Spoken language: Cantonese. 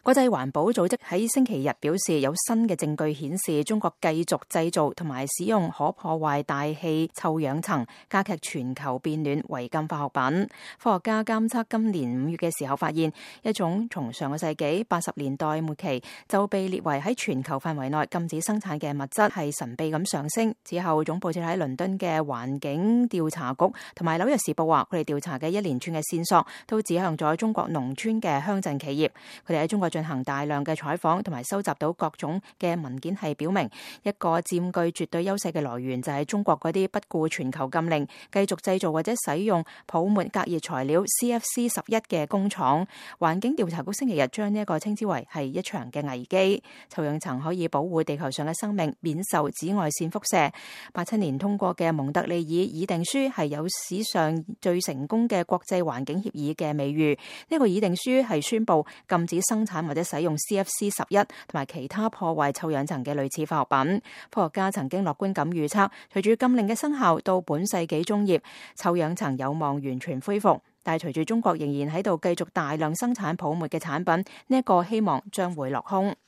國際環保組織喺星期日表示，有新嘅證據顯示中國繼續製造同埋使用可破壞大氣臭氧層，加劇全球變暖違禁化學品。科學家監測今年5月嘅時候發現，一種從上個世紀80年代末期就被列為喺全球範圍內禁止生產嘅物質係神秘咁上升。之後總部設喺倫敦嘅環境調查局同埋紐約時報話，佢哋調查嘅一連串嘅線索都指向咗中國農村嘅鄉鎮企業。佢哋喺中國進行大量嘅採訪同埋收集到各種嘅文件，係表明一個佔據絕對優勢嘅來源就係中國嗰啲不顧全球禁令繼續製造或者使用泡沫隔熱材料 CFC11 嘅工廠。環境調查局星期日將呢一個稱之為係一場嘅危機。臭氧層可以保護地球上嘅生命免受紫外線輻射。87年通過嘅蒙特利爾議定書係有史上最成功嘅國際環境協議嘅美譽。呢個議定書係宣布禁止生產或者使用 CFC11 同埋其他破壞臭氧層嘅類似化學品。科學家曾經樂觀咁預測，隨住禁令嘅生效，到本世紀中葉，臭氧層有望完全恢復。但係隨住中國仍然喺度繼續大量生產泡沫嘅產品，呢一個希望將會落空。